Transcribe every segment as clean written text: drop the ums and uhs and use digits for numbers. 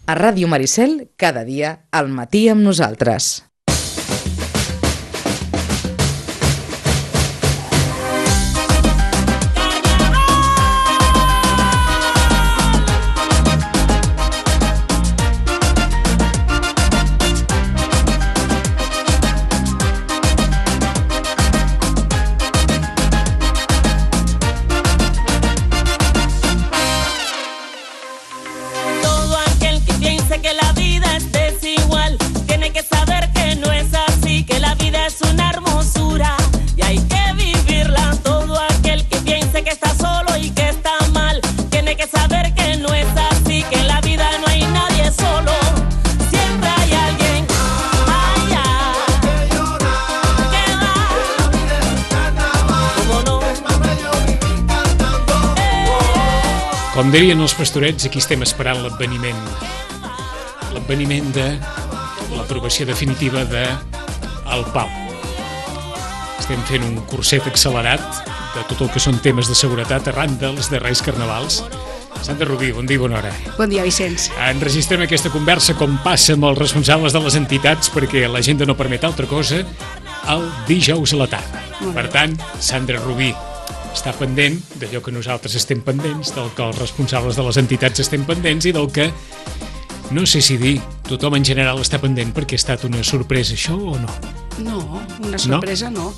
A Ràdio Maricel, cada dia, al matí amb nosaltres. Com dirien els pastorets, aquí estem esperant l'adveniment de l'aprovació definitiva del Pau. Estem fent un curset accelerat de tot el que són temes de seguretat arran dels darrers carnavals. Sandra Rubí, bon dia i bona hora. Bon dia, Vicenç. Enregistrem aquesta conversa com passa amb els responsables de les entitats perquè l'agenda no permet altra cosa el dijous a la tarda. Per tant, Sandra Rubí està pendent d'allò que nosaltres estem pendents, del que els responsables de les entitats estem pendents i del que, no sé si dir, tothom en general està pendent perquè ha estat una sorpresa això o no? No, una sorpresa no.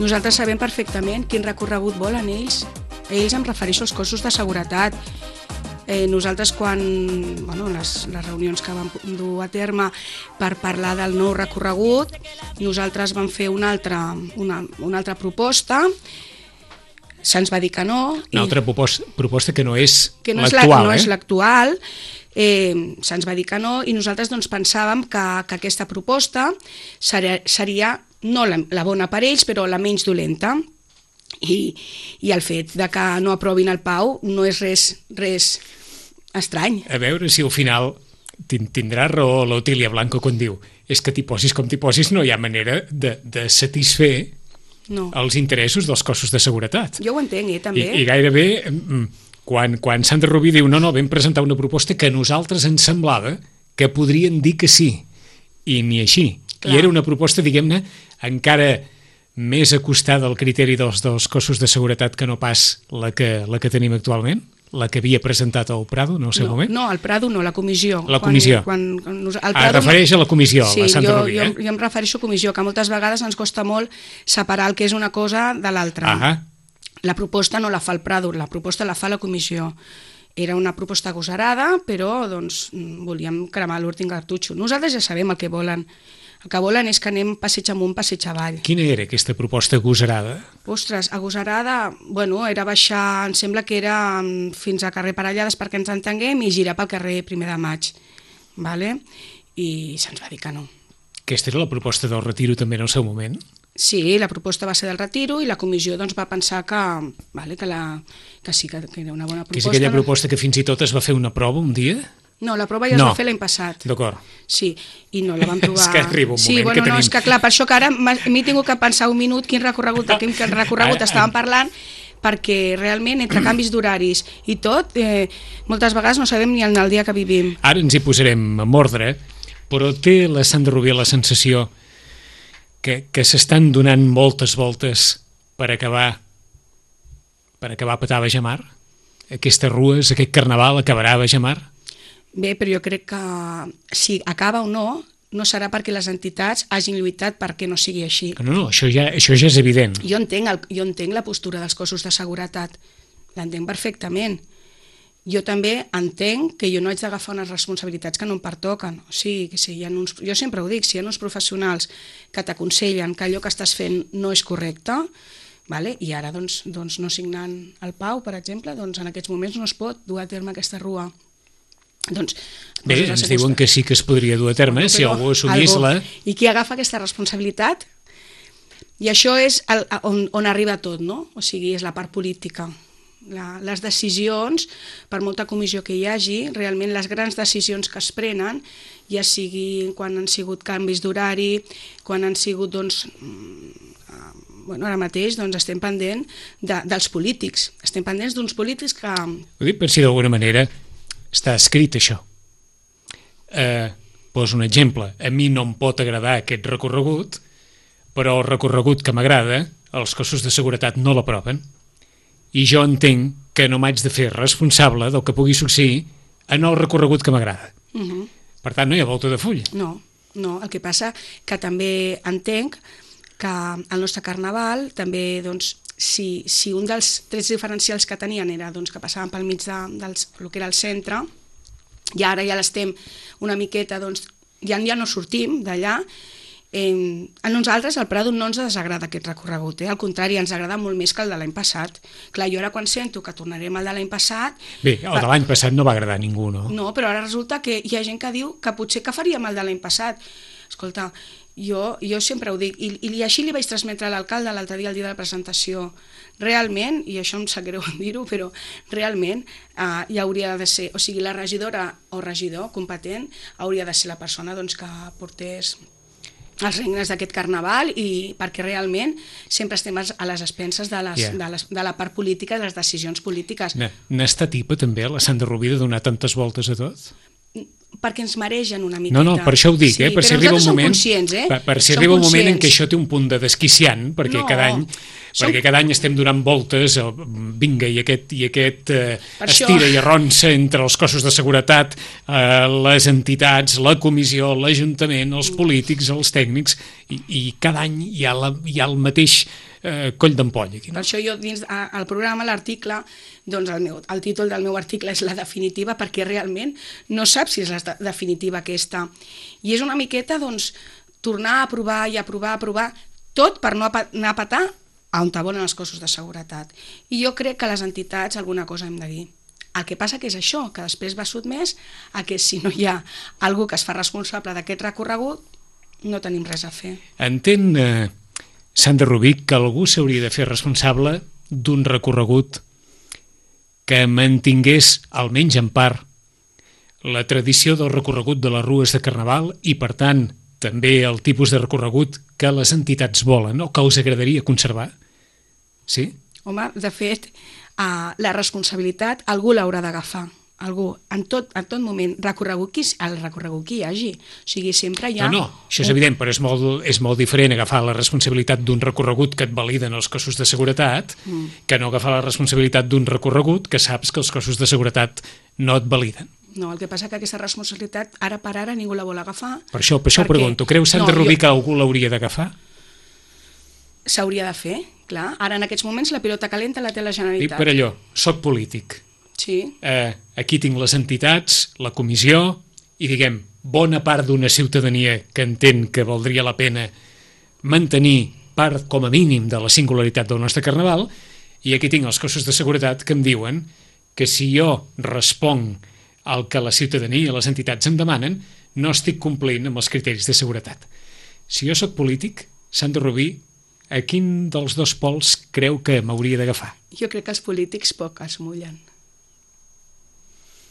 Nosaltres sabem perfectament quin recorregut volen ells. Ells em refereixo als cossos de seguretat. Nosaltres quan, les reunions que vam dur a terme per parlar del nou recorregut, nosaltres vam fer una altra proposta. Se'ns va dir que no. Una altra proposta que no és l'actual. No és l'actual. Se'ns va dir que no i nosaltres pensàvem que aquesta proposta seria no la bona per ells, però la menys dolenta. I el fet de que no aprovin el Pau no és res estrany. A veure si al final tindrà raó l'Otília Blanco quan diu és que t'hi posis com t'hi posis no hi ha manera de satisfer els interessos dels cossos de seguretat. Jo ho entenc, també. I gairebé, quan Sandra Rubí diu no, vam presentar una proposta que a nosaltres ens semblava que podrien dir que sí, i ni així. Clar. I era una proposta, diguem-ne, encara més acostada al criteri dels cossos de seguretat que no pas la que tenim actualment? La que havia presentat el Prado en el seu moment? No, el Prado no, la comissió. La comissió. Es refereix a la comissió, la Sandra Rubí. Sí, jo em refereixo a comissió, que moltes vegades ens costa molt separar el que és una cosa de l'altra. La proposta no la fa el Prado, la proposta la fa la comissió. Era una proposta agosarada, però volíem cremar l'últim cartutxo. Nosaltres ja sabem el que volen. El que volen és que anem passeig amunt, passeig avall. Quina era aquesta proposta agosarada? Ostres, agosarada, era baixar, em sembla que era fins a carrer Parellades perquè ens entenguem i girar pel carrer 1 de Maig. I se'ns va dir que no. Aquesta era la proposta del retiro també en el seu moment? Sí, la proposta va ser del retiro i la comissió va pensar que sí, que era una bona proposta. Que és aquella proposta que fins i tot es va fer una prova un dia? No, la prova ja es va fer l'any passat. D'acord. Sí, i no la vam trobar... És que arriba un moment que tenim... és que clar, per això que ara m'he tingut que pensar un minut quin recorregut estàvem parlant, perquè realment entre canvis d'horaris i tot, moltes vegades no sabem ni el dia que vivim. Ara ens hi posarem en ordre, però té la Sandra Rubí la sensació que s'estan donant moltes voltes per acabar a petar a Bajamar? Aquestes rues, aquest carnaval acabarà a Bajamar? Bé, però jo crec que si acaba o no, no serà perquè les entitats hagin lluitat perquè no sigui així. No, això ja és evident. Jo entenc la postura dels cossos de seguretat, l'entenc perfectament. Jo també entenc que jo no haig d'agafar unes responsabilitats que no em pertoquen. O sigui, que si hi ha jo sempre ho dic, si hi ha uns professionals que t'aconsellen que allò que estàs fent no és correcte, i ara no signant el Pau, per exemple, en aquests moments no es pot dur a terme aquesta rua. Bé, ens diuen que sí que es podria dur a terme si algú assumís-la. I qui agafa aquesta responsabilitat? I això és on arriba tot, no? O sigui, és la part política. Les decisions, per molta comissió que hi hagi, realment les grans decisions que es prenen, ja sigui quan han sigut canvis d'horari, quan han sigut, ara mateix estem pendents dels polítics. Estem pendents d'uns polítics que... Ho dic per si d'alguna manera està escrit això, Poso un exemple. A mi no em pot agradar aquest recorregut, però el recorregut que m'agrada, els cossos de seguretat no l'aproven. I jo entenc que no m'haig de fer responsable del que pugui succeir en el recorregut que m'agrada. Per tant, no hi ha volta de full. No, el que passa que també entenc que el nostre carnaval també, doncs, si un dels trets diferencials que tenien era doncs, que passaven pel mig del que era el centre, i ara ja l'estem una miqueta, doncs, ja no sortim d'allà. A nosaltres, al Prado, no ens desagrada aquest recorregut, al contrari, ens agrada molt més que el de l'any passat. Clar, jo ara quan sento que tornarem al de l'any passat... Bé, el de l'any passat no va agradar a ningú, no? No, però ara resulta que hi ha gent que diu que potser que faríem el de l'any passat. Escolta, jo sempre ho dic, i així li vaig transmetre a l'alcalde l'altre dia, el dia de la presentació. Realment, i això em sap greu dir-ho, però realment hi hauria de ser, o sigui, la regidora o regidor competent hauria de ser la persona doncs, que portés els regnes d'aquest carnaval, i perquè realment sempre estem a les expenses de la part política i de les decisions polítiques. N'està tipa també la Sandra Rubí de donar tantes voltes a tot? Perquè ens maregen una miqueta. No, per això ho dic, per si arriba un moment... Per si arriba un moment en què això té un punt de desquiciant, perquè cada any estem donant voltes, vinga, i aquest estira i arronsa entre els cossos de seguretat, les entitats, la comissió, l'Ajuntament, els polítics, els tècnics, i cada any hi ha el mateix coll d'ampolla. Per això jo dins el programa, l'article, doncs el títol del meu article és la definitiva, perquè realment no saps si és la definitiva aquesta. I és una miqueta, doncs, tornar a provar i a provar, tot per no anar a petar on volen els cossos de seguretat. I jo crec que les entitats alguna cosa hem de dir. El que passa que és això, que després va sotmès a que si no hi ha algú que es fa responsable d'aquest recorregut, no tenim res a fer. Entén, Sandra Rubí, que algú s'hauria de fer responsable d'un recorregut que mantingués, almenys en part, la tradició del recorregut de les rues de Carnaval i, per tant, també el tipus de recorregut que les entitats volen o que us agradaria conservar? Sí? Home, de fet, la responsabilitat algú l'haurà d'agafar. Algú, en tot moment, el recorregut que hi hagi. O sigui, sempre hi ha... No, això és evident, però és molt diferent agafar la responsabilitat d'un recorregut que et validen els cossos de seguretat que no agafar la responsabilitat d'un recorregut que saps que els cossos de seguretat no et validen. No, el que passa que aquesta responsabilitat, ara per ara, ningú la vol agafar. Per això ho pregunto. Creu Sandra Rubí que algú l'hauria d'agafar? S'hauria de fer, clar. Ara, en aquests moments, la pilota calenta la té la Generalitat. I per allò, soc polític. Sí. Aquí tinc les entitats, la comissió, i diguem, bona part d'una ciutadania que entén que valdria la pena mantenir part, com a mínim, de la singularitat del nostre Carnaval, i aquí tinc els cossos de seguretat que em diuen que si jo responc al que la ciutadania i les entitats em demanen, no estic complint amb els criteris de seguretat. Si jo sóc polític, Sandra Rubí, a quin dels dos pols creu que m'hauria d'agafar? Jo crec que els polítics poc es mullen.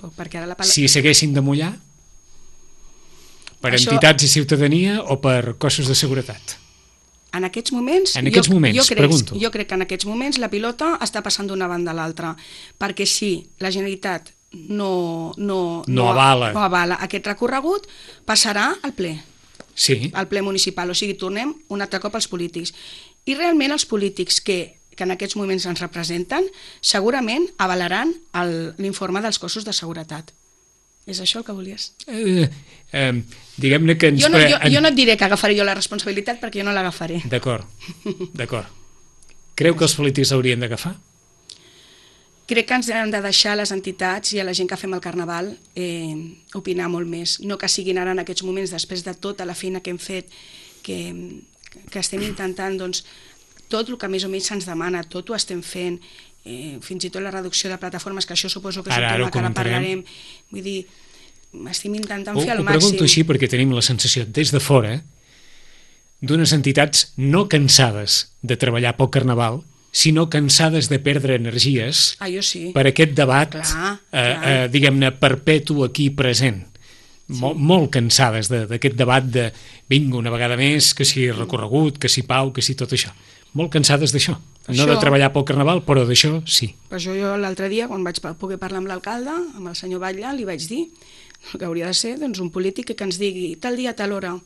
Perquè ara si s'haguessin de mullar? Per entitats i ciutadania o per cossos de seguretat? En aquests moments, pregunto. Jo crec que en aquests moments la pilota està passant d'una banda a l'altra, perquè si la Generalitat no avala aquest recorregut, passarà al ple. Sí. Al ple municipal, o sigui, tornem un altre cop als polítics. I realment els polítics que en aquests moments ens representen, segurament avalaran l'informe dels cossos de seguretat. És això el que volies? Diguem-ne que ens... Jo no et diré que agafaré jo la responsabilitat perquè jo no l'agafaré. D'acord. Creu que els polítics haurien d'agafar? Crec que ens hem de deixar a les entitats i a la gent que fem el Carnaval opinar molt més. No que siguin ara en aquests moments, després de tota la feina que hem fet, que estem intentant, doncs, tot el que més o menys se'ns demana, tot ho estem fent, fins i tot la reducció de plataformes, que això suposo que és un tema que ara parlarem. Vull dir, estem intentant fer el màxim. Ho pregunto així perquè tenim la sensació, des de fora, d'unes entitats no cansades de treballar pel Carnaval, sinó cansades de perdre energies per aquest debat, diguem-ne, perpetu aquí present. Molt cansades d'aquest debat de vinga una vegada més, que si recorregut, que si pau, que si tot això. Molt cansades d'això. No de treballar pel Carnaval, però d'això sí. Per això jo l'altre dia, quan vaig poder parlar amb l'alcalde, amb el senyor Batlle, li vaig dir, El que hauria de ser doncs, un polític que ens digui tal dia, tal hora,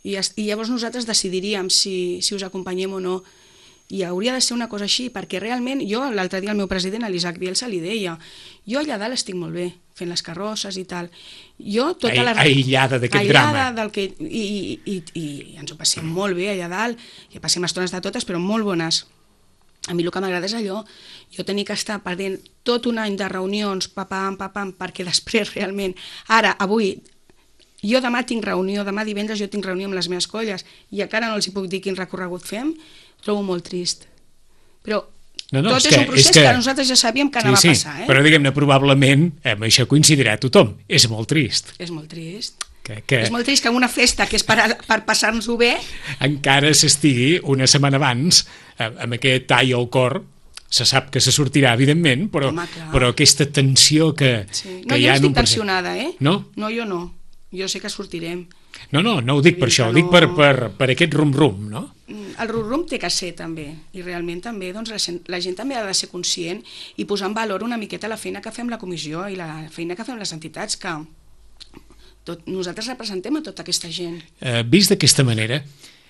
i llavors nosaltres decidiríem si us acompanyem o no. I hauria de ser una cosa així, perquè realment, jo l'altre dia al meu president, a l'Isaac Bielsa, li deia, jo allà dalt estic molt bé, fent les carrosses i tal. Jo tota aïllada d'aquest drama. I ens ho passem molt bé allà dalt, i passem estones de totes, però molt bones. A mi el que m'agrada és allò, jo tenir que estar perdent tot un any de reunions, papam, perquè després realment, ara, avui, jo demà tinc reunió, demà divendres jo tinc reunió amb les meves colles, i encara no els hi puc dir quin recorregut fem, trobo molt trist. Però tot és un procés que nosaltres ja sabíem que anava a passar. Però diguem-ne, probablement, amb això coincidirà tothom. És molt trist. És molt trist. És molt trist que en una festa que és per passar-nos-ho bé encara s'estigui una setmana abans amb aquest tall al cor. Se sap que se sortirà, evidentment, però aquesta tensió que no, hi ha... No, jo estic tensionada, No? No, jo no. Jo sé que sortirem. No ho dic per això, ho dic per aquest rum-rum, no? El rum-rum té que ser, també, i realment també doncs, la gent també ha de ser conscient i posar en valor una miqueta la feina que fem la comissió i la feina que fem les entitats, que nosaltres representem a tota aquesta gent. Vist d'aquesta manera,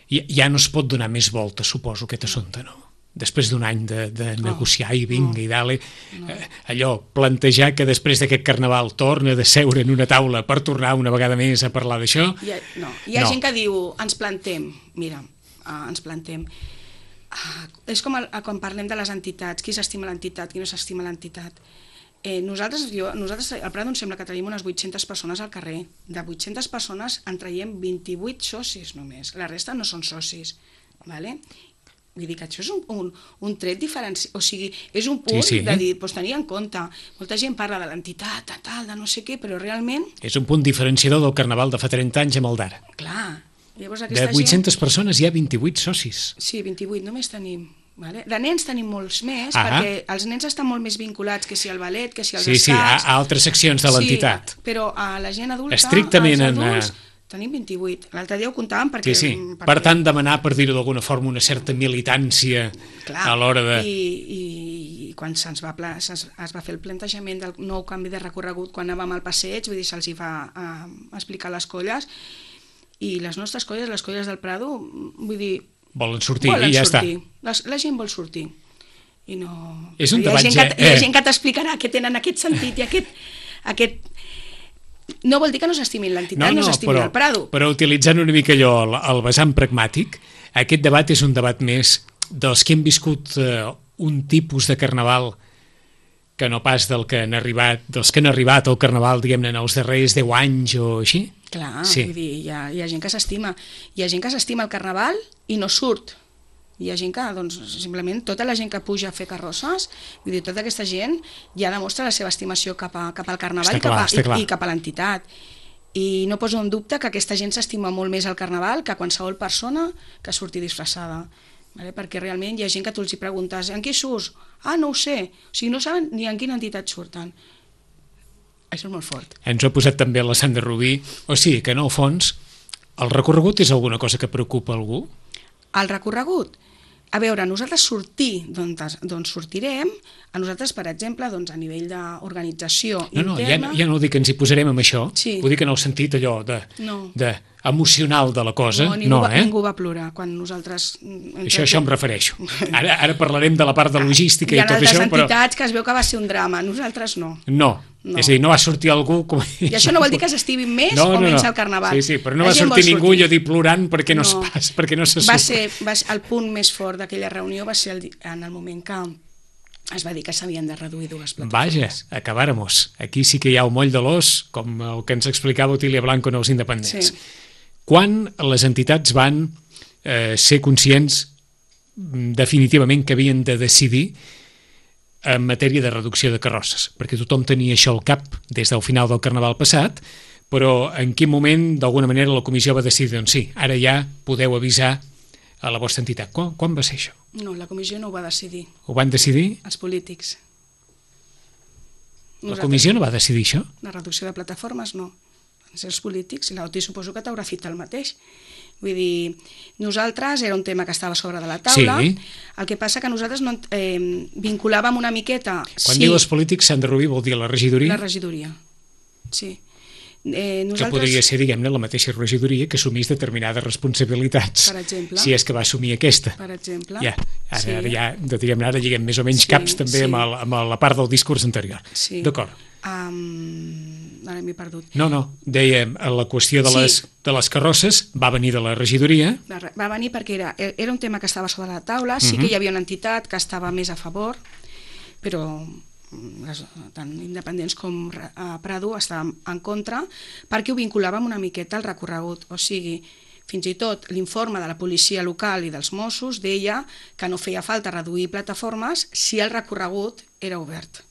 ja no es pot donar més volta, suposo, aquest assumpte, no? Després d'un any de negociar i vinga i dale, allò, plantejar que després d'aquest carnaval torna de seure en una taula per tornar una vegada més a parlar d'això... Hi ha gent que diu, ens plantem, mira, ens plantem. És com quan parlem de les entitats, qui s'estima l'entitat, qui no s'estima l'entitat. Nosaltres, al Prado, em sembla que tenim unes 800 persones al carrer. De 800 persones en traiem 28 socis només, la resta no són socis, d'acord? Vull dir que això és un tret diferencial, o sigui, és un punt de dir, doncs tenir en compte, molta gent parla de l'entitat, de no sé què, però realment... És un punt diferenciador del carnaval de fa 30 anys amb el d'ara. Clar, llavors aquesta gent... De 800 persones hi ha 28 socis. Sí, 28 només tenim. De nens tenim molts més, perquè els nens estan molt més vinculats, que si al ballet, que si als escacs... Sí, a altres seccions de l'entitat. Sí, però a la gent adulta, estrictament als adults... Tenim 28. L'altre dia ho comptàvem perquè... Sí. Per tant, demanar, per dir-ho d'alguna forma, una certa militància a l'hora de... I quan es va fer el plantejament del nou canvi de recorregut, quan anàvem al passeig, vull dir, se'ls va explicar les colles, i les nostres colles, les colles del Prado, vull dir... Volen sortir i ja està. La gent vol sortir. I no... És un debat... Hi ha gent que t'explicarà que tenen aquest sentit i aquest... No vol dir que no s'estimin l'entitat, no s'estimin el Prado. Però utilitzant una mica allò, el vessant pragmàtic, aquest debat és un debat més dels que hem viscut un tipus de carnaval que no pas dels que han arribat al carnaval, diguem-ne, en els darrers 10 anys o així? Clar, vull dir, hi ha gent que s'estima. Hi ha gent que s'estima el carnaval i no surt. Hi ha gent que, doncs, simplement, tota la gent que puja a fer carrosses, vull dir, tota aquesta gent ja demostra la seva estimació cap al carnaval i cap a l'entitat. I no poso en dubte que aquesta gent s'estima molt més al carnaval que qualsevol persona que surti disfressada. Perquè realment hi ha gent que tu els hi preguntes en què surts? No ho sé. O sigui, no saben ni en quina entitat surten. Això és molt fort. Ens ho ha posat també la Sandra Rubí. O sigui que, en el fons, el recorregut és alguna cosa que preocupa algú? El recorregut? A veure, nosaltres sortir d'on sortirem, a nosaltres, per exemple, a nivell d'organització interna... Ja no dic que ens hi posarem amb això, ho dic en el sentit allò emocional de la cosa. Ningú va plorar quan nosaltres... Això em refereixo. Ara parlarem de la part de logística i tot això, però... Hi ha altres entitats que es veu que va ser un drama, nosaltres no. No. És a dir, no va sortir algú... I això no vol dir que s'estimin més o menys al carnaval. Sí, però no va sortir ningú, jo dic, plorant perquè no se surt. El punt més fort d'aquella reunió va ser en el moment que es va dir que s'havien de reduir 2 plataformes. Vaja, acabáramos. Aquí sí que hi ha un moll de l'os, com el que ens explicava Otília Blanco en els independents. Quan les entitats van ser conscients definitivament que havien de decidir en matèria de reducció de carrosses, perquè tothom tenia això al cap des del final del carnaval passat, però en quin moment, d'alguna manera, la comissió va decidir, doncs sí, ara ja podeu avisar a la vostra entitat. Quan va ser això? No, la comissió no ho va decidir. Ho van decidir? Els polítics. La comissió no va decidir això? La reducció de plataformes no. Van ser els polítics, i l'Oti suposo que t'haurà fet el mateix. Vull dir, nosaltres era un tema que estava sobre de la taula, el que passa que nosaltres no vinculàvem una miqueta... Quan diu els polítics, Sandra Rubí vol dir la regidoria? La regidoria, sí. Que podria ser, diguem-ne, la mateixa regidoria que assumís determinades responsabilitats. Per exemple. Si és que va assumir aquesta. Per exemple. Ja, ara ja, diguem-ne, ara lliguem més o menys caps també amb la part del discurs anterior. Sí. D'acord. Ara m'he perdut. No, dèiem, la qüestió de les carrosses va venir de la regidoria. Va venir perquè era un tema que estava sobre la taula, sí que hi havia una entitat que estava més a favor, però tant independents com Prado estàvem en contra perquè ho vinculàvem una miqueta al recorregut, o sigui, fins i tot l'informe de la policia local i dels Mossos deia que no feia falta reduir plataformes si el recorregut era obert,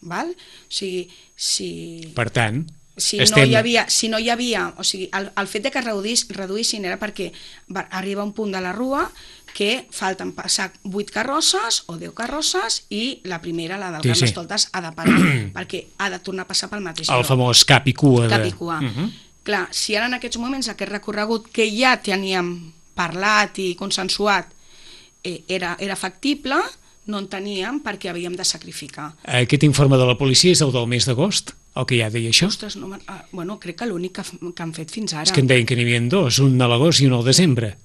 val? O sigui, per tant, si no hi havia, o sigui, el fet de que reduïssin era perquè arriba un punt de la rua que falten passar 8 carrosses o 10 carrosses i la primera, la del Carnestoltes, ha de parar, perquè ha de tornar a passar pel mateix lloc. El famós cap i cua. Cap i cua. Clar, si ara en aquests moments aquest recorregut que ja teníem parlat i consensuat era factible, no en teníem perquè havíem de sacrificar. Aquest informe de la policia és el del mes d'agost? El que ja deia això? Ostres, bueno, crec que l'únic que han fet fins ara. És que em deien que n'hi havia dos, un a l'agost i un al desembre.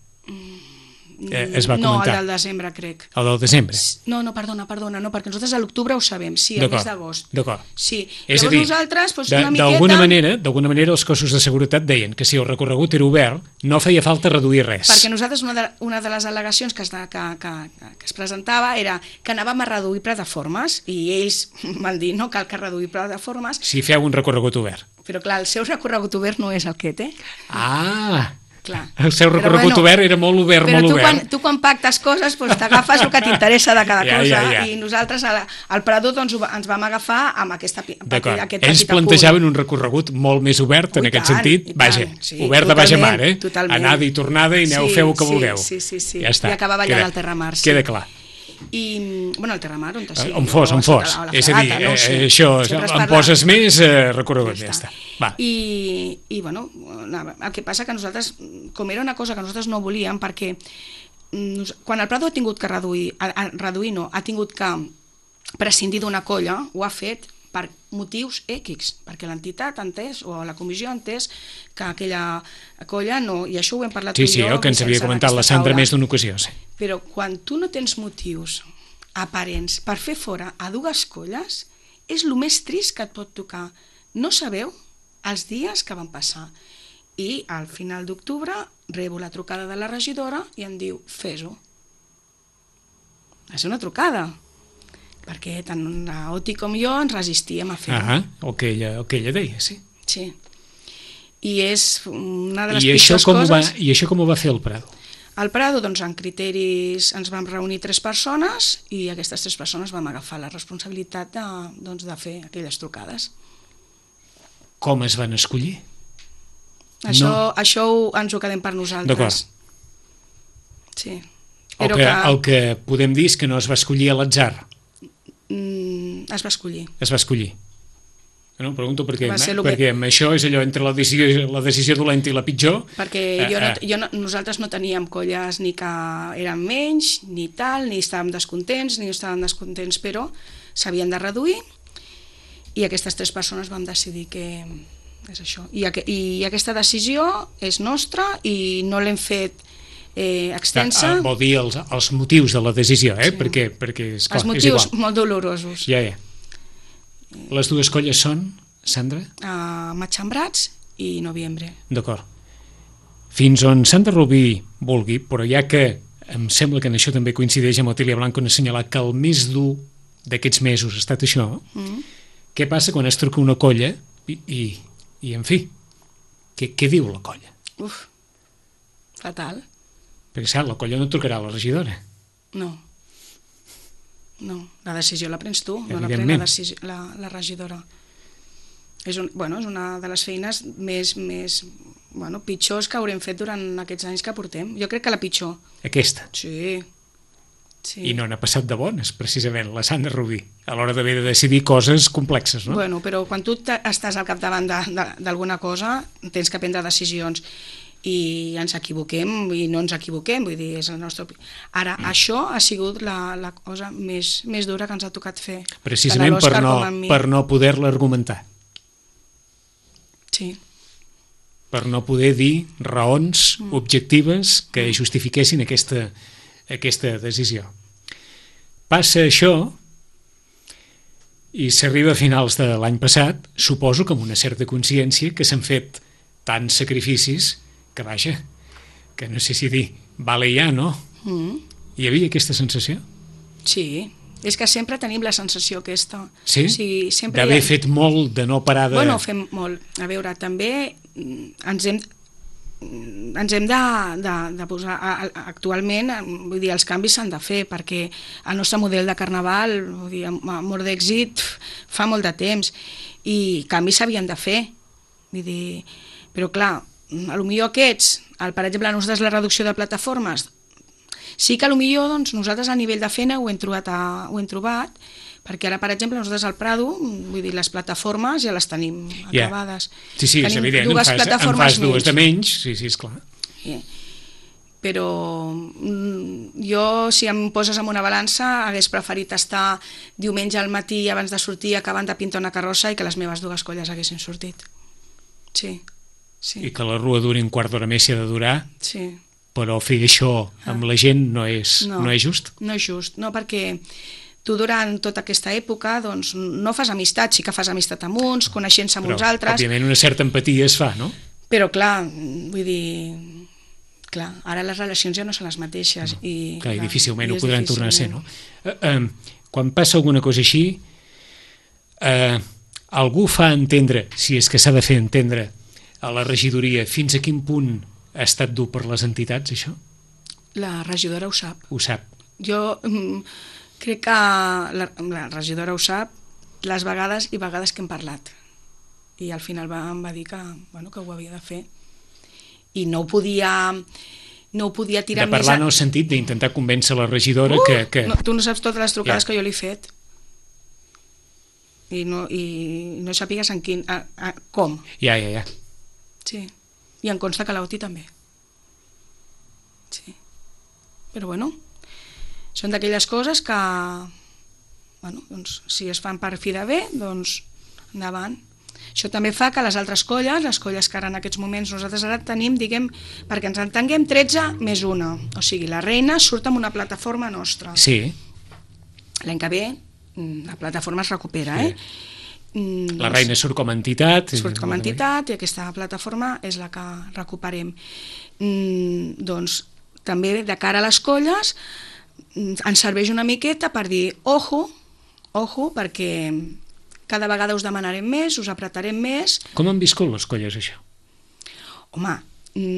Es va comentar. No, el del desembre, crec. El del desembre? No, perdona, no, perquè nosaltres a l'octubre ho sabem, sí, el mes d'agost. D'acord. Sí, és a dir, nosaltres, una miqueta... d'alguna manera els cossos de seguretat deien que si el recorregut era obert no feia falta reduir res. Perquè nosaltres una de les al·legacions que es presentava era que anàvem a reduir plataformes i ells van dir no cal que reduir plataformes. Si feu un recorregut obert. Però clar, el seu recorregut obert no és el que té. Clar. El seu recorregut obert era molt obert, molt obert. Però tu quan pactes coses t'agafes el que t'interessa de cada cosa i nosaltres al Prado ens vam agafar amb aquest petit apunt. Ells plantejaven un recorregut molt més obert en aquest sentit, obert de baix a mar, anada i tornada i aneu feu el que vulgueu. Sí, ja està. I acabava allà al Terramar. Queda clar. I, bueno, el Terramar, on fos. És a dir, això, em poses més recorregut, ja està. I, bueno, el que passa que nosaltres, com era una cosa que nosaltres no volíem, perquè quan el Prado ha tingut que ha tingut que prescindir d'una colla, ho ha fet per motius X, perquè l'entitat ha entès, o la comissió ha entès que aquella colla no, i això ho hem parlat tu i jo. Sí, el que ens havia comentat la Sandra més d'una ocasió. Però quan tu no tens motius aparents per fer fora a dues colles, és el més trist que et pot tocar. No sabeu els dies que van passar. I al final d'octubre rebo la trucada de la regidora i em diu, fes-ho. És una trucada. Perquè tant la Oti com jo ens resistíem a fer-ho. El que ella deia, sí. Sí. I és una de les pitjors coses... I això com ho va fer el Prado? Al Prado, doncs, en criteris ens vam reunir 3 persones i aquestes 3 persones vam agafar la responsabilitat de fer aquelles trucades. Com es van escollir? Això ens ho quedem per nosaltres. D'acord. Sí. El que podem dir és que no es va escollir a l'atzar. Es va escollir. Es va escollir. No, pregunto perquè amb això és allò entre la decisió dolenta i la pitjor. Perquè nosaltres no teníem colles ni que eren menys, ni tal, ni estàvem descontents, ni no estàvem descontents, però s'havien de reduir i aquestes 3 persones vam decidir que és això. I aquesta decisió és nostra i no l'hem fet extensa. Vol dir els motius de la decisió, perquè esclar, els motius molt dolorosos. Ja. Les dues colles són, Sandra? Matxembrats i Noviembre. D'acord. Fins on Sandra Rubí vulgui, però ja que em sembla que en això també coincideix amb Otília Blanco en assenyalar que el més dur d'aquests mesos ha estat això, què passa quan es truca una colla i en fi, què diu la colla? Fatal. Perquè, clar, la colla no trucarà a la regidora. No, la decisió la prens tu, no la pren la regidora. És una de les feines més pitjors que haurem fet durant aquests anys que portem. Jo crec que la pitjor. Aquesta? Sí. I no n'ha passat de bones, precisament, la Sandra Rubí, a l'hora d'haver de decidir coses complexes, no? Bueno, però quan tu estàs al capdavant d'alguna cosa, tens que prendre decisions i ens equivoquem i no ens equivoquem, vull dir, és el nostre... Ara, això ha sigut la cosa més dura que ens ha tocat fer. Precisament per no poder-la argumentar. Sí. per no poder dir raons objectives que justifiquessin aquesta decisió. Passa això i s'arriba a finals de l'any passat, suposo que amb una certa consciència que s'han fet tants sacrificis que, vaja, que no sé si dir, vale ja, no? Hi havia aquesta sensació? Sí, és que sempre tenim la sensació aquesta. Sí? O sigui, sempre d'haver fet molt, de no parar de... Bueno, fem molt. A veure, també ens hem de posar... Actualment, vull dir, els canvis s'han de fer, perquè el nostre model de carnaval, vull dir, amor d'èxit, fa molt de temps, i canvis s'havien de fer. Vull dir, però clar, potser aquests, per exemple, nosaltres la reducció de plataformes, sí que potser doncs, nosaltres a nivell de feina ho hem trobat, perquè ara, per exemple, nosaltres al Prado, vull dir, les plataformes ja les tenim acabades. Sí, sí, és evident, en fas dues de menys, sí, esclar. Però jo, si em poses en una balança, hagués preferit estar diumenge al matí abans de sortir acabant de pintar una carrossa i que les meves dues colles haguessin sortit. Sí. I que la rua duri un quart d'hora més si ha de durar, sí. Però fer això amb la gent no és just? No és just, no, perquè tu durant tota aquesta època doncs, no fas amistat, sí que fas amistat amb uns, coneixent-se amb uns altres... Però, òbviament, una certa empatia es fa, no? Però, clar, vull dir... Clar, ara les relacions ja no són les mateixes. No, i difícilment ho podran tornar a ser, no? Quan passa alguna cosa així, algú fa entendre, si és que s'ha de fer entendre, a la regidoria, fins a quin punt ha estat dur per les entitats, això? La regidora ho sap. Ho sap. Jo crec que la regidora ho sap les vegades i vegades que hem parlat. I al final em va dir que ho havia de fer. I no ho podia tirar més... De parlar en el sentit d'intentar convèncer la regidora que... No, tu no saps totes les trucades que jo li he fet. I no sàpigues en quin... com. Ja. Sí. I em consta que l'Auti també. Sí. Però són d'aquelles coses que, doncs, si es fan per fi de bé, doncs endavant. Això també fa que les altres colles, les colles que ara en aquests moments nosaltres ara tenim, diguem, perquè ens entenguem, 13 més 1. O sigui, la Reina surt amb una plataforma nostra. Sí. L'any que ve la plataforma es recupera, La Reina surt com a entitat. Surt com a entitat i aquesta plataforma és la que recuperem. Doncs també de cara a les colles ens serveix una miqueta per dir ojo, perquè cada vegada us demanarem més, us apretarem més. Com han viscut les colles això? Home,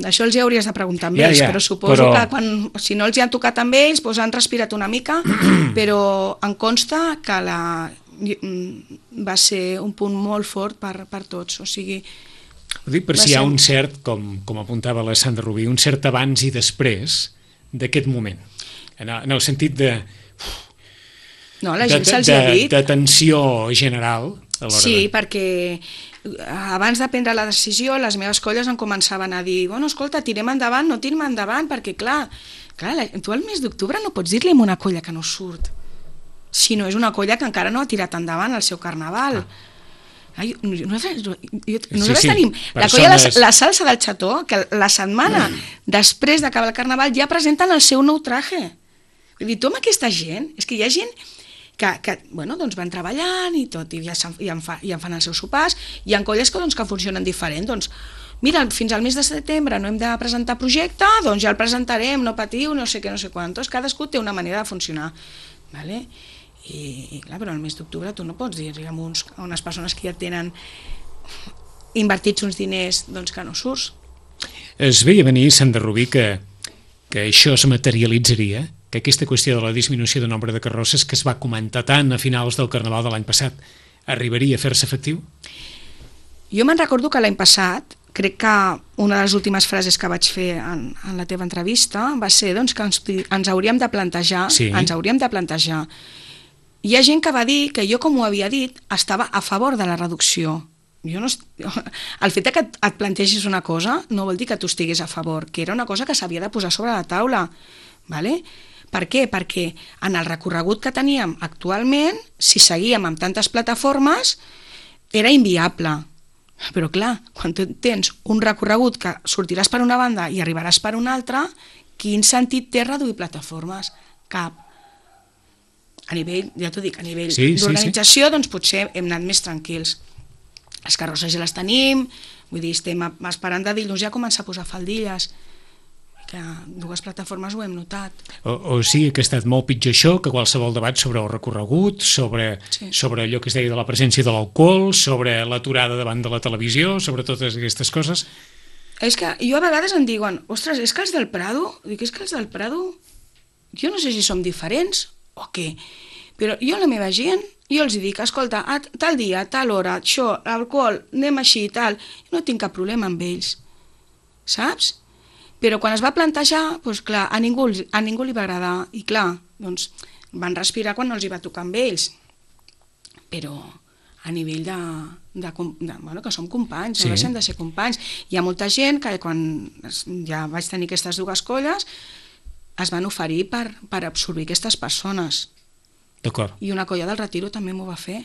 això els hi hauries de preguntar amb ells, però suposo que si no els hi han tocat amb ells han respirat una mica, però em consta que va ser un punt molt fort per tots, o sigui... Ho dic per si hi ha un cert, com apuntava la Sandra Rubí, un cert abans i després d'aquest moment, en el sentit de... No, la gent se'ls ha dit. De tensió general. Sí, perquè abans de prendre la decisió les meves colles em començaven a dir escolta, tirem endavant, no tirem endavant, perquè clar, tu al mes d'octubre no pots dir-li a una colla que no surt si no és una colla que encara no ha tirat endavant el seu carnaval. Nosaltres tenim la colla La Salsa del Xató, que la setmana després d'acabar el carnaval ja presenten el seu nou traje. Vull dir, tu amb aquesta gent, és que hi ha gent que doncs van treballant i tot, i ja en fan els seus sopars. Hi ha colles que funcionen diferent, doncs mira, fins al mes de setembre no hem de presentar projecte, doncs ja el presentarem, no patiu, no sé què, no sé quantos. Cadascú té una manera de funcionar, vale? I clar, però al mes d'octubre tu no pots dir a unes persones que ja tenen invertits uns diners doncs que no surts. Es veia venir, Sandra Rubí, que això es materialitzaria, que aquesta qüestió de la disminució de nombre de carrosses que es va comentar tant a finals del Carnaval de l'any passat arribaria a fer-se efectiu? Jo me'n recordo que l'any passat, crec que una de les últimes frases que vaig fer en la teva entrevista va ser que ens hauríem de plantejar, Hi ha gent que va dir que jo, com ho havia dit, estava a favor de la reducció. El fet que et plantegis una cosa no vol dir que tu estiguis a favor, que era una cosa que s'havia de posar sobre la taula. Vale? Per què? Perquè en el recorregut que teníem actualment, si seguíem amb tantes plataformes, era inviable. Però clar, quan tu tens un recorregut que sortiràs per una banda i arribaràs per una altra, quin sentit té reduir plataformes? Cap. A nivell, ja t'ho dic, a nivell d'organització, doncs potser hem anat més tranquils. Les carrosses ja les tenim, vull dir, estem esperant de dilluns ja començar a posar faldilles, que dues plataformes ho hem notat. O sigui que ha estat molt pitjor això que qualsevol debat sobre el recorregut, sobre allò que es deia de la presència de l'alcohol, sobre l'aturada davant de la televisió, sobre totes aquestes coses. És que jo a vegades em diuen, ostres, és que els del Prado, dic, és que els del Prado, jo no sé si som diferents o què, però jo a la meva gent, jo els dic, escolta, a tal dia, a tal hora, això, alcohol, anem així i tal, no tinc cap problema amb ells, saps? Però quan es va plantejar, doncs clar, a ningú li va agradar, i clar, doncs van respirar quan no els hi va tocar amb ells. Però a nivell bueno, que som companys, no deixem de ser companys. Hi ha molta gent que quan ja vaig tenir aquestes dues colles es van oferir per absorbir aquestes persones. D'acord. I una colla del Retiro també m'ho va fer.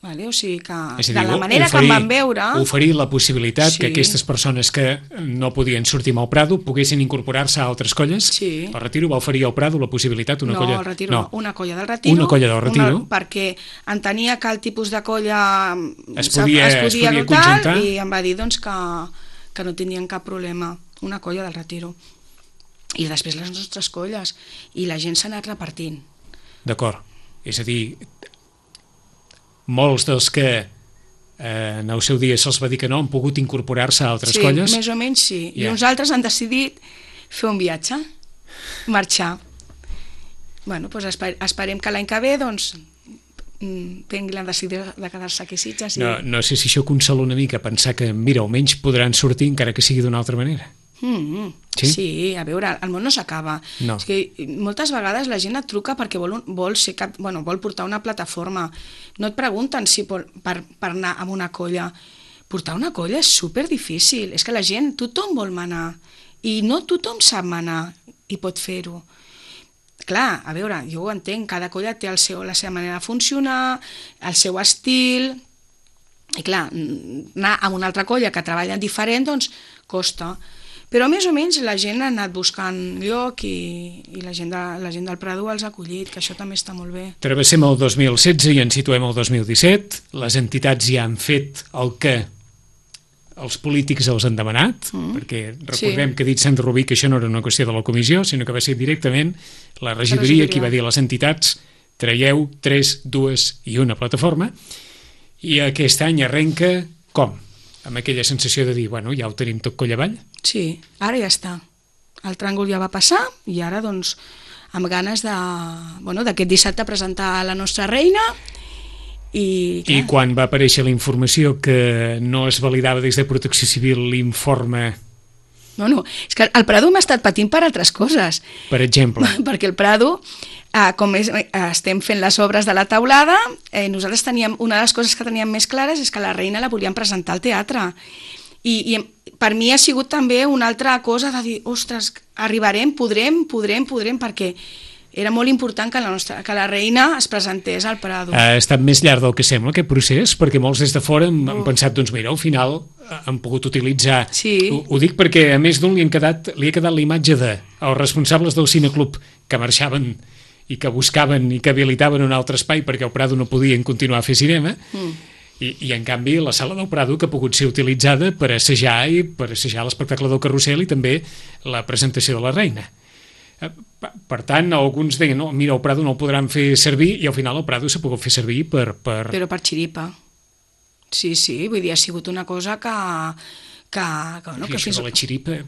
Vale? O sigui que dir, de la manera que em van veure... Oferir la possibilitat que aquestes persones que no podien sortir amb el Prado poguessin incorporar-se a altres colles. Sí. El Retiro va oferir al Prado la possibilitat, una colla... No, el Retiro no, una colla del Retiro. Una colla del Retiro. Perquè entenia que el tipus de colla es podia conjuntar i em va dir doncs, que no tenien cap problema. Una colla del Retiro. I després les nostres colles. I la gent s'ha anat repartint. D'acord. És a dir... molts dels que en el seu dia se'ls va dir que no han pogut incorporar-se a altres colles. Sí, més o menys sí. I uns altres han decidit fer un viatge, marxar. Bueno, doncs esperem que l'any que ve doncs, prengui la decisió de quedar-se aquí a Sitges. No sé si això consola una mica, pensar que, mira, almenys podran sortir encara que sigui d'una altra manera. Sí, a veure, el món no s'acaba. No. És que moltes vegades la gent et truca perquè vol portar una plataforma. No et pregunten si per anar amb una colla. Portar una colla és superdifícil. És que la gent, tothom vol manar. I no tothom sap manar i pot fer-ho. Clar, a veure, jo ho entenc, cada colla té la seva manera de funcionar, el seu estil, i clar, anar a una altra colla que treballa diferent, doncs costa. Però més o menys la gent ha anat buscant lloc i la gent del Prado els ha acollit, que això també està molt bé. Travessem el 2016 i ens situem al 2017. Les entitats ja han fet el que els polítics els han demanat, perquè recordem que ha dit Sandra Rubí que això no era una qüestió de la comissió, sinó que va ser directament la regidoria qui va dir a les entitats traieu 3, 2 i una plataforma, i aquest any arrenca com? Amb aquella sensació de dir, bueno, ja ho tenim tot coll avall? Sí, ara ja està. El tràngol ja va passar i ara, doncs, amb ganes d'aquest dissabte presentar la nostra reina i quan va aparèixer la informació que no es validava des de Protecció Civil l'informe... No, és que el Prado m'ha estat patint per altres coses. Per exemple? Perquè el Prado, com estem fent les obres de la teulada, nosaltres teníem, una de les coses que teníem més clares és que la reina la volíem presentar al teatre. I per mi ha sigut també una altra cosa de dir, ostres, arribarem, podrem, perquè era molt important que la reina es presentés al Prado. Ha estat més llarg del que sembla aquest procés, perquè molts des de fora han pensat, doncs mira, al final han pogut utilitzar... Sí. Ho dic perquè a més d'un li ha quedat la imatge dels responsables del cineclub que marxaven i que buscaven i que habilitaven un altre espai perquè al Prado no podien continuar a fer cinema, i en canvi la sala del Prado que ha pogut ser utilitzada per assajar l'espectacle del Carrusel i també la presentació de la reina. Per tant, alguns deien, no, mira, el Prado no el podran fer servir, i al final el Prado s'ha pogut fer servir per... Però per xiripa. Sí, vull dir, ha sigut una cosa que això de la xiripa...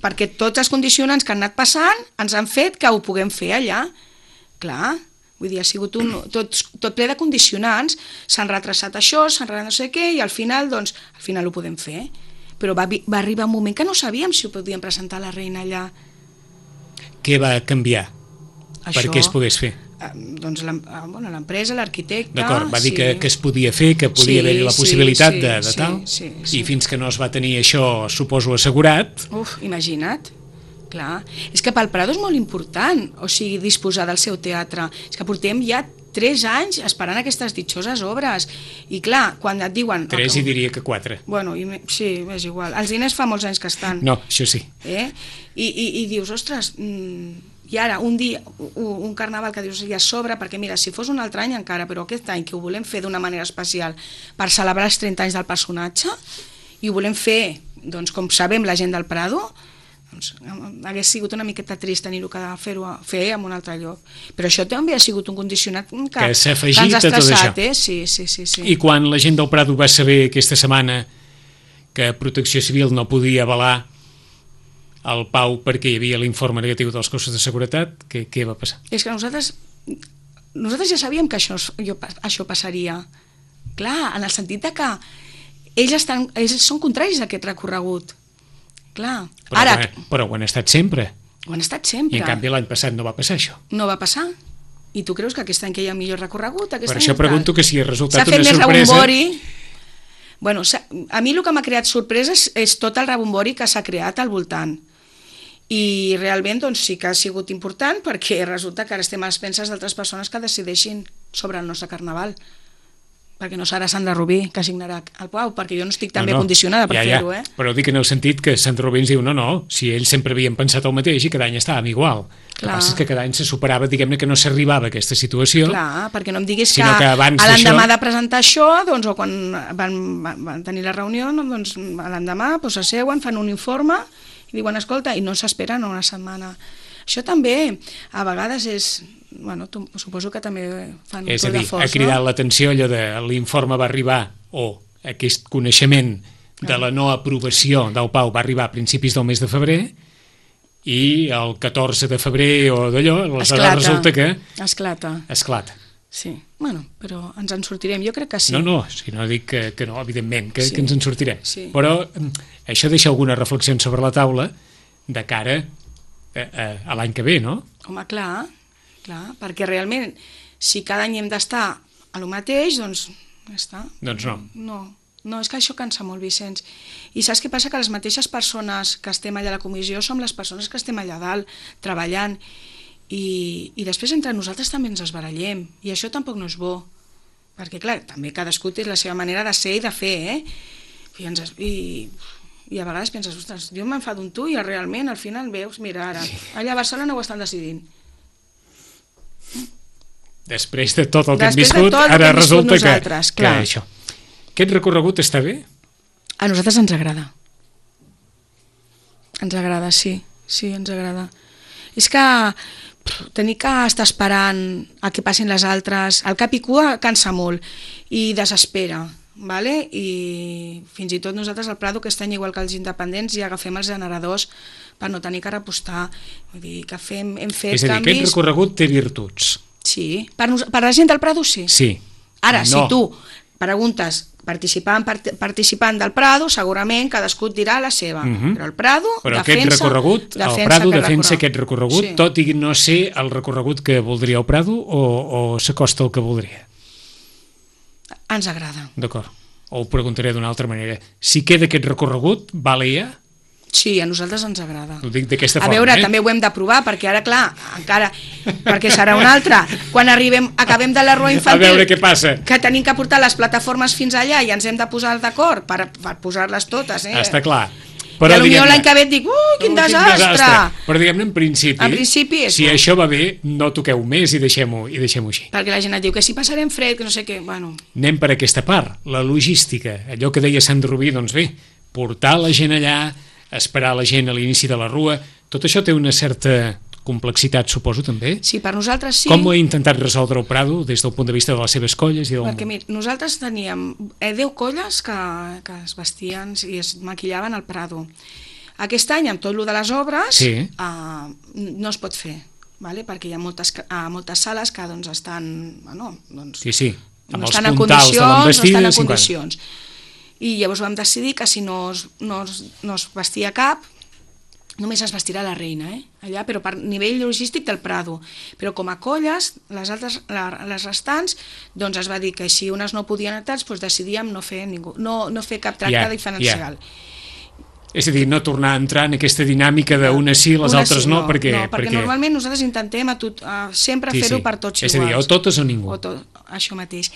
perquè tots els condicionants que han anat passant ens han fet que ho puguem fer allà. Clar, vull dir, ha sigut tot ple de condicionants, s'han retrasat això, s'han retrasat no sé què, i al final ho podem fer. Però va arribar un moment que no sabíem si ho podíem presentar a la reina allà. Què va canviar perquè es pogués fer? Doncs l'empresa, l'arquitecte... D'acord, va dir que es podia fer, que podia haver-hi la possibilitat de tal, i fins que no es va tenir això, suposo, assegurat... Imagina't, clar. És que pel Prado és molt important, o sigui, disposar del seu teatre. És que portem ja 3 anys esperant aquestes ditxoses obres. I clar, quan et diuen... 3 i diria que 4. Bueno, sí, és igual. Els diners fa molts anys que estan. No, això sí. I dius, ostres, i ara un dia, un carnaval que dius ja sobre, perquè mira, si fos un altre any encara, però aquest any que ho volem fer d'una manera especial per celebrar els 30 anys del personatge, i ho volem fer, doncs, com sabem la gent del Prado, doncs, hagués sigut una miqueta trist tenir-ho que fer en un altre lloc. Però això també ha sigut un condicionat que s'ha afegit a tot això. Sí. I quan la gent del Prado va saber aquesta setmana que Protecció Civil no podia avalar el Pau perquè hi havia l'informe negatiu dels cossos de seguretat, què va passar? És que nosaltres ja sabíem que això passaria. Clar, en el sentit de que ells són contraris a aquest recorregut. Clar. Però ho han estat sempre. Ho han estat sempre. I en canvi l'any passat no va passar això. No va passar. I tu creus que aquest any que hi ha millor recorregut? Per això pregunto que si ha resultat una sorpresa... S'ha fet més rebombori. Bueno, a mi el que m'ha creat sorpresa és tot el rebombori que s'ha creat al voltant. I realment doncs, sí que ha sigut important perquè resulta que ara estem a les penses d'altres persones que decideixin sobre el nostre carnaval. Perquè no serà Sandra Rubí que signarà el Pau, perquè jo no estic tan bé condicionada per fer-ho. Però dic en el sentit que Sandra Rubí ens diu no, si ells sempre havien pensat el mateix i cada any estàvem igual. El que passa és que cada any se superava, diguem-ne que no s'arribava a aquesta situació. Clar, perquè no em diguis que l'endemà de presentar això, doncs, o quan van tenir la reunió, doncs l'endemà s'asseuen, fan un informe i diuen, escolta, i no s'esperen una setmana. Això també, a vegades és... Bueno, suposo que també fan un toll de forç. És a dir, ha cridat l'atenció allò de l'informe va arribar, o aquest coneixement de la no aprovació del Pau va arribar a principis del mes de febrer, i el 14 de febrer o d'allò, aleshores resulta que... Esclata. Sí, bueno, però ens en sortirem, jo crec que sí. No, si no dic que no, evidentment, que ens en sortirem. Però això deixa algunes reflexions sobre la taula de cara a l'any que ve, no? Home, clar, perquè realment, si cada any hem d'estar a lo mateix, doncs ja està. Doncs no. No, és que això cansa molt, Vicenç. I saps què passa? Que les mateixes persones que estem allà a la comissió som les persones que estem allà dalt, treballant, i després entre nosaltres també ens esbarallem, i això tampoc no és bo, perquè clar, també cadascú té la seva manera de ser i de fer, i a vegades penses, ostres, jo m'enfado amb tu i realment al final veus, mira ara, allà a Barcelona ho estan decidint. Després de tot el que hem viscut, ara resulta que això. Aquest recorregut està bé? A nosaltres ens agrada. Ens agrada, sí, ens agrada. És que tenir que estar esperant a que passin les altres, el cap i cua cansa molt i desespera, vale? I fins i tot nosaltres al Prado aquest any, igual que els independents, ja agafem els generadors per no tenir que repostar. Vull dir que hem fet canvis... És a dir, aquest recorregut té virtuts. Sí, per la gent del Prado sí. Sí. Ara, si tu preguntes participant del Prado, segurament cadascú et dirà la seva, però el Prado defensa aquest recorregut, tot i no ser el recorregut que voldria el Prado o s'acosta al que voldria? Ens agrada. D'acord, o ho preguntaré d'una altra manera. Si queda aquest recorregut, vale ja? Sí, a nosaltres ens agrada. Ho dic d'aquesta forma. A veure, també ho hem de provar, perquè ara, clar, encara, perquè serà una altra. Quan acabem de la rua infantil... A veure què passa. Que tenim que portar les plataformes fins allà i ens hem de posar d'acord per posar-les totes, Està clar. Però potser l'any que ve et dic, quin desastre! Però diguem-ne, en principi, si això va bé, no toqueu més i deixem-ho així. Perquè la gent et diu que si passarem fred, que no sé què, bueno... Anem per aquesta part, la logística, allò que deia Sandra Rubí, doncs bé, portar la gent allà, esperar la gent a l'inici de la rua, tot això té una certa complexitat, suposo, també? Sí, per nosaltres sí. Com ho ha intentat resoldre el Prado des del punt de vista de les seves colles? Perquè, mira, nosaltres teníem 10 colles que es vestien i es maquillaven al Prado. Aquest any, amb tot el de les obres, no es pot fer, perquè hi ha moltes sales que estan... No estan en condicions. I llavors vam decidir que si no es vestia cap, només es vestirà la reina, allà, però per nivell logístic del Prado. Però com a colles, les restants, doncs es va dir que si unes no podien anar, doncs decidíem no fer cap tracte diferencial. És a dir, no tornar a entrar en aquesta dinàmica d'unes sí, les altres no, perquè... No, perquè normalment nosaltres intentem sempre fer-ho per tots iguals. És a dir, o totes o ningú. Això mateix.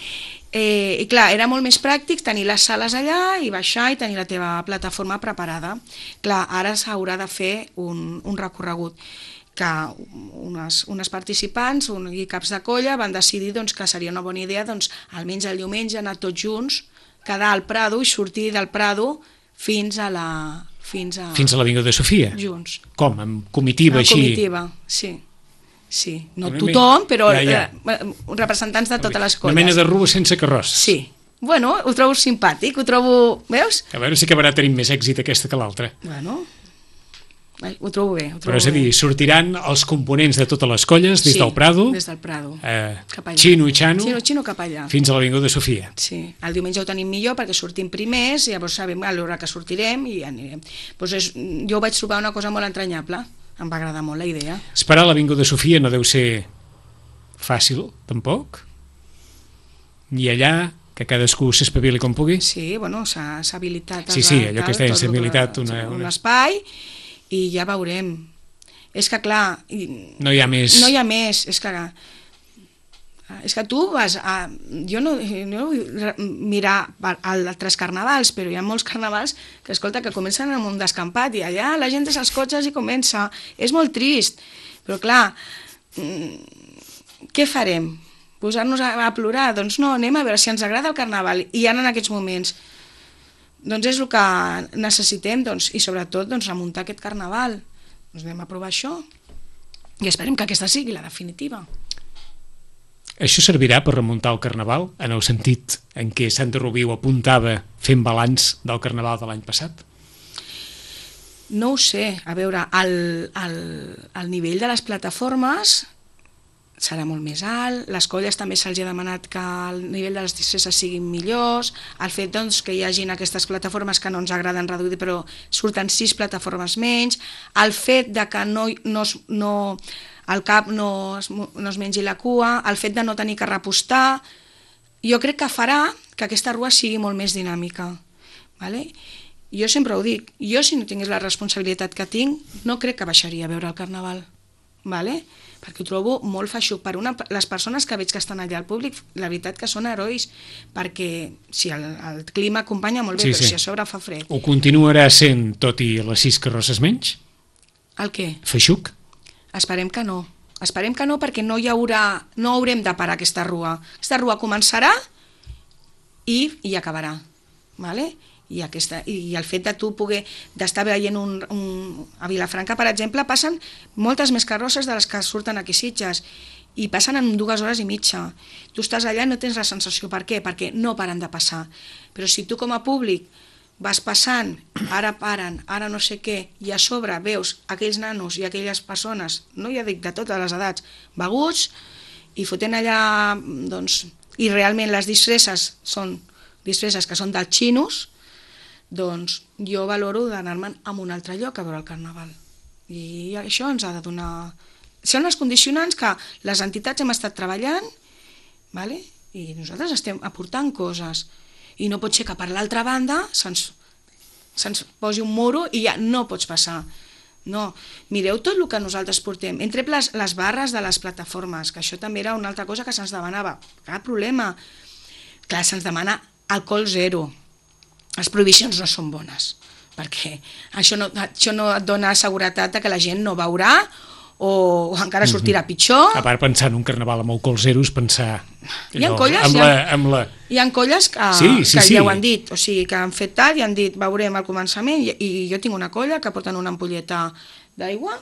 I clar, era molt més pràctic tenir les sales allà i baixar i tenir la teva plataforma preparada. Clar, ara s'haurà de fer un recorregut que unes participants i caps de colla van decidir que seria una bona idea almenys el diumenge anar tots junts, quedar al Prado i sortir del Prado fins a l'Avinguda de Sofia? Junts. Com? Amb comitiva així? Amb comitiva, sí. No tothom, però representants de totes les colles. Una mena de rua sense carrosses. Sí. Bueno, ho trobo simpàtic, veus? A veure si acabarà tenint més èxit aquesta que l'altra. Bueno, ho trobo bé. Però és a dir, sortiran els components de totes les colles des del Prado, cap allà. Xino i Xano, cap allà. fins a l'Avinguda de Sofia. Sí, el diumenge ho tenim millor perquè sortim primers, llavors sabem a l'hora que sortirem i ja anirem. Jo ho vaig trobar una cosa molt entranyable, em va agradar molt la idea. Esperar l'Avinguda de Sofia no deu ser fàcil, tampoc? I allà, que cadascú s'espavili com pugui? Sí, bueno, s'ha habilitat... Sí, allò que es deia, s'ha habilitat un espai... i ja veurem. És que clar... No hi ha més. És que tu vas a... Jo no vull mirar altres carnavals, però hi ha molts carnavals que, escolta, que comencen amb un descampat i allà la gent és als cotxes i comença. És molt trist. Però clar, què farem? Posar-nos a plorar? Doncs no, anem a veure si ens agrada el carnaval. I ara en aquests moments... Doncs és el que necessitem, i sobretot remuntar aquest carnaval. Anem a provar això i esperem que aquesta sigui la definitiva. Això servirà per remuntar el carnaval, en el sentit en què Santa Rubí ho apuntava fent balanç del carnaval de l'any passat? No ho sé. A veure, el nivell de les plataformes serà molt més alt, les colles també se'ls ha demanat que el nivell de les disfresses siguin millors, el fet que hi hagin aquestes plataformes que no ens agraden reduir però surten 6 plataformes menys, el fet de que el cap no es mengi la cua, el fet de no tenir que repostar, jo crec que farà que aquesta rua sigui molt més dinàmica. Vale? Jo sempre ho dic, jo si no tingués la responsabilitat que tinc, no crec que baixaria a veure el carnaval. Vale? Perquè ho trobo molt feixuc. Les persones que veig que estan allà al públic, la veritat que són herois, perquè si el clima acompanya molt bé, però si a sobre fa fred. Ho continuarà sent, tot i les 6 carrosses menys? El què? Feixuc? Esperem que no. Esperem que no, perquè no haurem de parar aquesta rua. Aquesta rua començarà i acabarà. Vale? I el fet de tu d'estar veient a Vilafranca, per exemple, passen moltes més carrosses de les que surten aquí a Sitges i passen en 2 hores i mitja. Tu estàs allà i no tens la sensació. Per què? Perquè no paren de passar. Però si tu com a públic vas passant, ara paren, ara no sé què, i a sobre veus aquells nanos i aquelles persones, no ja dic de totes les edats, beguts i fotent allà, i realment les disfresses són disfresses que són dels xinos, doncs jo valoro d'anar-me'n a un altre lloc a veure el carnaval. I això ens ha de donar... Són les condicionants que les entitats hem estat treballant, vale? I nosaltres estem aportant coses. I no pot ser que per l'altra banda se'ns posi un muro i ja no pots passar. No, mireu tot el que nosaltres portem. Hem tret les barres de les plataformes, que això també era una altra cosa que se'ns demanava. Cap problema. Clar, se'ns demana alcohol zero. Les prohibicions no són bones, perquè això no et dona seguretat que la gent no veurà o encara sortirà pitjor. A part, pensar en un carnaval amb alcohol zero és pensar... Hi ha colles que ja ho han dit, o sigui, que han fet tal i han dit veurem al començament, i jo tinc una colla que porten una ampolleta d'aigua,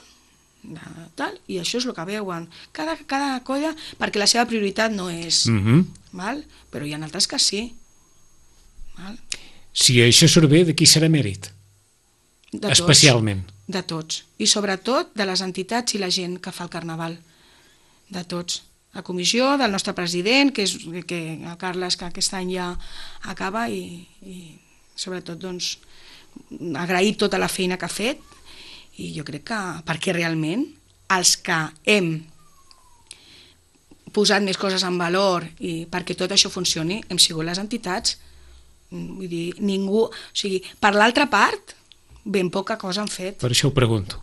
i això és el que veuen. Cada colla, perquè la seva prioritat no és... Però hi ha altres que sí. Si això surt bé, de qui serà mèrit? Especialment. De tots. I sobretot de les entitats i la gent que fa el carnaval. De tots. La comissió, del nostre president, que el Carles, que aquest any ja acaba, i sobretot agrair tota la feina que ha fet, i jo crec que perquè realment els que hem posat més coses en valor i perquè tot això funcioni hem sigut les entitats. Vull dir, ningú... O sigui, per l'altra part, ben poca cosa han fet. Per això ho pregunto.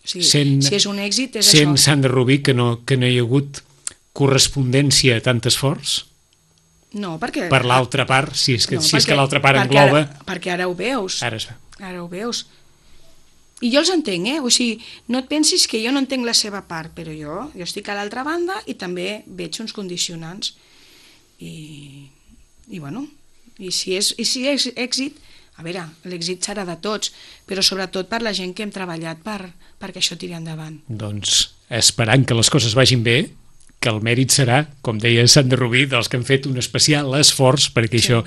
O sigui, si és un èxit, és Sent això. Sandra Rubí que no hi ha hagut correspondència a tant esforç? No, perquè... Per l'altra part, si és que l'altra part perquè engloba... Perquè ara ho veus. Ara es veu. Ara ho veus. I jo els entenc, O sigui, no et pensis que jo no entenc la seva part, però jo estic a l'altra banda i també veig uns condicionants. I bueno, i si és èxit, a veure, l'èxit serà de tots, però sobretot per la gent que hem treballat perquè això tiri endavant. Doncs esperant que les coses vagin bé, que el mèrit serà, com deia Sandra Rubí, dels que han fet un especial esforç perquè això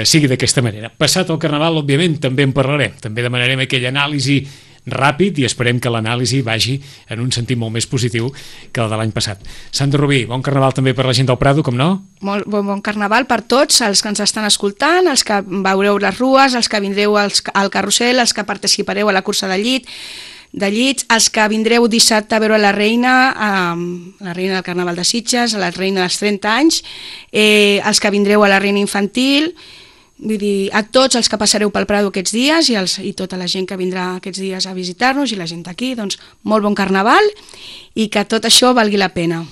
sigui d'aquesta manera. Passat el Carnaval, òbviament, també en parlarem. També demanarem aquella anàlisi ràpid i esperem que l'anàlisi vagi en un sentit molt més positiu que el de l'any passat. Sandra Rubí, bon Carnaval també per la gent del Prado, com no? Molt bon Carnaval per tots els que ens estan escoltant, els que veureu les rues, els que vindreu al carrusel, els que participareu a la cursa de llits, els que vindreu dissabte a veure la reina del Carnaval de Sitges, a la reina dels 30 anys, els que vindreu a la reina infantil, vull dir, a tots els que passareu pel Prado aquests dies i tota la gent que vindrà aquests dies a visitar-nos i la gent d'aquí, doncs molt bon Carnaval i que tot això valgui la pena.